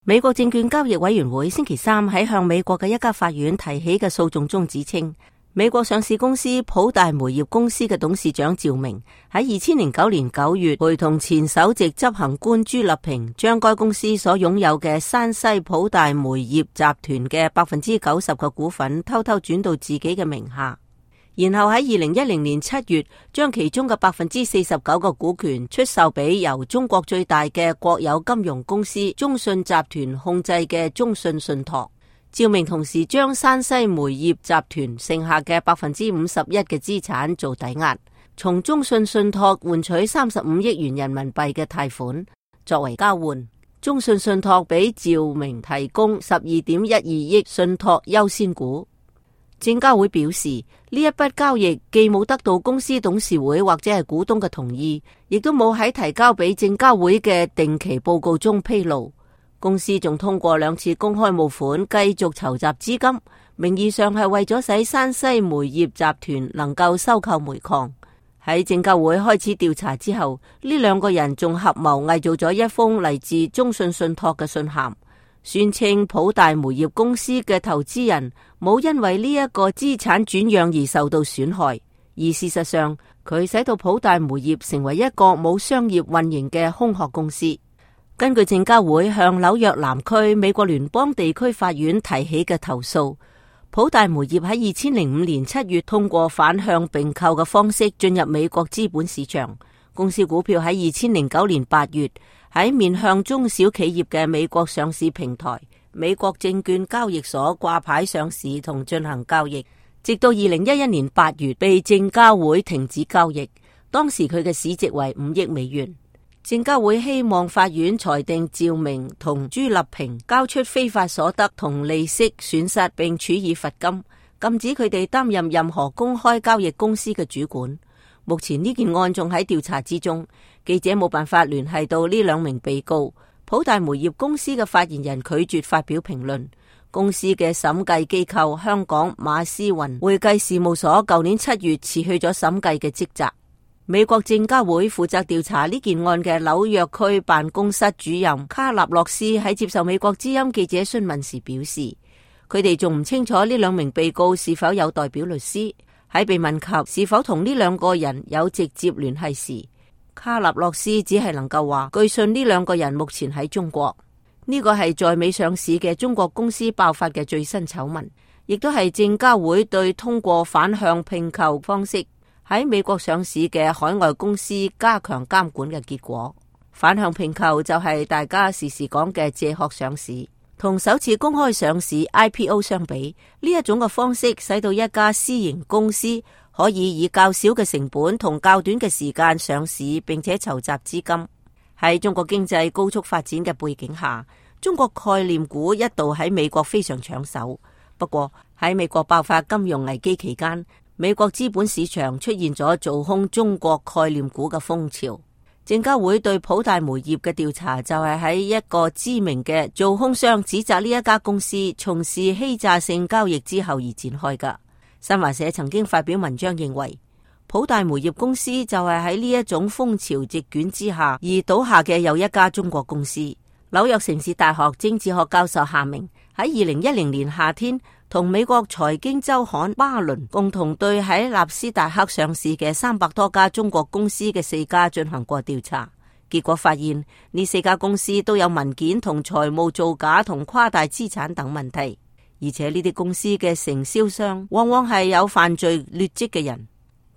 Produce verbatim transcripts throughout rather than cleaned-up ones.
美國證券交易委員會星期三喺向美國嘅一家法院提起嘅訴訟中指稱，美國上市公司普大煤業公司嘅董事長趙明喺二千零九年九月陪同前首席執行官朱立平，將該公司所擁有嘅山西普大煤業集團嘅百分之九十嘅股份偷偷轉到自己嘅名下，然後喺二零一零年七月將其中嘅百分之四十九個股權出售俾由中國最大嘅國有金融公司中信集團控制嘅中信信託。趙明同時將山西煤業集團剩下嘅百分之五十一嘅資產做抵押，從中信信託換取三十五億元人民幣嘅貸款作為交換。中信信託俾趙明提供十二點一二億信託優先股。證交會表示，呢一筆交易既冇得到公司董事會或者係股東嘅同意，亦都冇喺提交俾證交會嘅定期報告中披露。公司仲通過兩次公開募款繼續籌集資金，名義上係為咗使山西煤業集團能夠收購煤礦。喺證交會開始調查之後，呢兩個人仲合謀偽造咗一封嚟自中信信託嘅信函，宣稱普大煤業公司嘅投資人冇因為呢一個資產轉讓而受到損害，而事實上佢使到普大煤業成為一個冇商業運營嘅空殼公司。根據證交會向紐約南區美國聯邦地區法院提起嘅投訴，普大煤業喺二千零五年七月通過反向併購嘅方式進入美國資本市場。公司股票喺二千零九年八月喺面向中小企業嘅美國上市平台美國證券交易所掛牌上市同進行交易，直到二零一一年八月被證交會停止交易。當時佢嘅市值為五億美元。證交會希望法院裁定趙明同朱立平交出非法所得同利息損失，並處以罰金，禁止佢哋擔任任何公開交易公司嘅主管。目前呢件案仲喺調查之中，記者冇辦法聯繫到呢兩名被告。普大煤業公司嘅發言人拒絕發表評論。公司嘅審計機構香港馬思雲會計事務所舊年七月辭去咗審計嘅職責。美國證交會負責調查呢件案嘅紐約區辦公室主任卡納洛斯喺接受美國之音記者詢問時表示，佢哋仲唔清楚呢兩名被告是否有代表律師。喺被問及是否同呢兩個人有直接聯繫時，卡納洛斯只係能夠話，據信呢兩個人目前喺中國。呢個係在美上市嘅中國公司爆發嘅最新醜聞，亦都係證交會對通過反向併購方式喺美國上市嘅海外公司加強監管嘅結果。反向併購就係大家時時講嘅借殼上市，同首次公開上市 I P O 相比，呢一種嘅方式使到一家私營公司可以以較少嘅成本同較短嘅時間上市，並且籌集資金。喺中國經濟高速發展嘅背景下，中國概念股一度喺美國非常搶手。不過喺美國爆發金融危機期間，美國資本市場出現咗做空中國概念股嘅風潮。證交會對普大煤業嘅調查就係喺一個知名嘅做空商指責呢一家公司從事欺詐性交易之後而展開㗎。新華社曾經發表文章認為，普大煤業公司就係喺呢一種風潮席捲之下而倒下嘅又一家中國公司。紐約城市大學政治學教授夏明喺二零一零年夏天同美國財經週刊巴倫共同對喺納斯達克上市嘅三百多家中國公司嘅四家進行過調查，結果發現呢四家公司都有文件同財務造假同誇大資產等問題，而且呢啲公司嘅承銷商往往係有犯罪劣跡嘅人。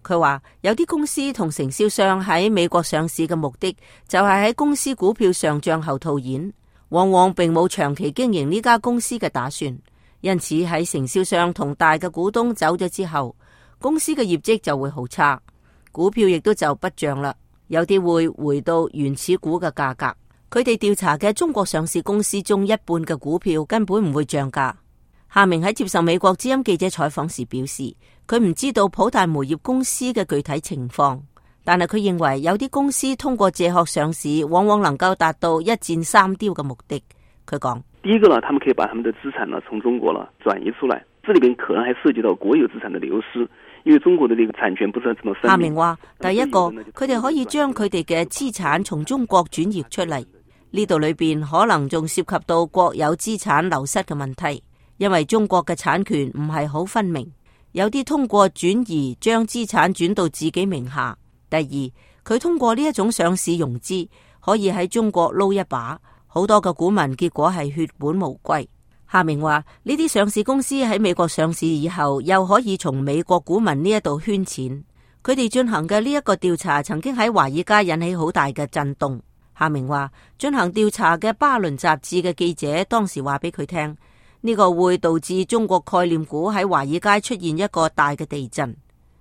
佢話有啲公司同承銷商喺美國上市嘅目的就係喺公司股票上漲後套現，往往並冇長期經營呢家公司嘅打算。因此喺承銷商同大嘅股東走咗之後，公司嘅業績就會好差，股票亦都就不漲啦，有啲會回到原始股嘅價格。佢哋調查嘅中國上市公司中一半嘅股票根本唔會漲價。夏明喺接受美國之音記者採訪時表示，佢唔知道普大煤業公司嘅具體情況，但係佢認為有啲公司通過借殼上市往往能夠達到一箭三雕嘅目的。佢講，第一個呢，他們可以把他們的資產呢從中國呢轉移出來，這裏邊可能還涉及到國有資產的流失，因為中國的呢個產權不是這麼分明。夏明話，第一個佢哋可以將佢哋嘅資產從中國轉移出嚟。呢度裏邊可能仲涉及到國有資產流失嘅問題，因為中國嘅產權唔係好分明，有啲通過轉移將資產轉到自己名下。第二，佢通過呢一種上市融資，可以喺中國撈一把，好多嘅股民結果係血本無歸。夏明話呢啲上市公司喺美國上市以後，又可以從美國股民呢一度圈錢。佢哋進行嘅呢一個調查，曾經喺華爾街引起好大嘅震動。夏明話進行調查嘅巴倫雜誌嘅記者當時話俾佢聽，呢個會導致中國概念股喺華爾街出現一個大嘅地震。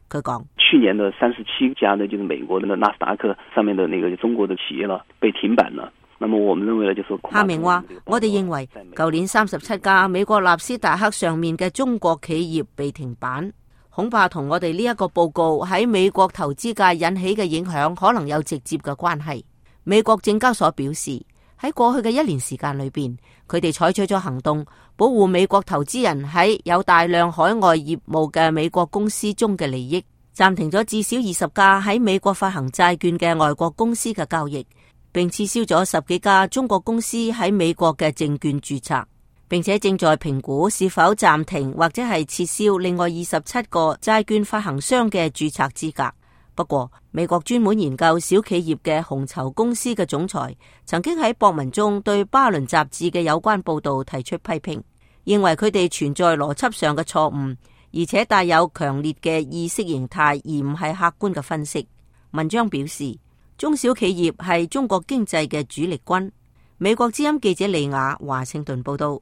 佢講，去年的三十七家呢，就是美國的納斯達克上面的那個中國的企業了，被停板了。那麼我們認為呢，就是夏明話，我哋認為舊年三十七家美國納斯達克上面嘅中國企業被停板，恐怕同我哋呢一個報告喺美國投資界引起嘅影響可能有直接嘅關係。美國證交所表示，喺過去嘅一年時間裏邊，佢哋採取咗行動，保護美國投資人喺有大量海外業務嘅美國公司中嘅利益，暫停咗至少二十家喺美國發行債券嘅外國公司嘅交易，並撤銷咗十幾家中國公司喺美國嘅證券註冊，並且正在評估是否暫停或者係撤銷另外二十七個債券發行商嘅註冊資格。不過，美國專門研究小企業嘅紅籌公司嘅總裁曾經喺博文中對巴倫雜誌嘅有關報道提出批評，認為佢哋存在邏輯上嘅錯誤，而且帶有強烈嘅意識形態，而唔係客觀嘅分析。文章表示，中小企業係中國經濟嘅主力軍。美國之音記者李雅華盛頓報道。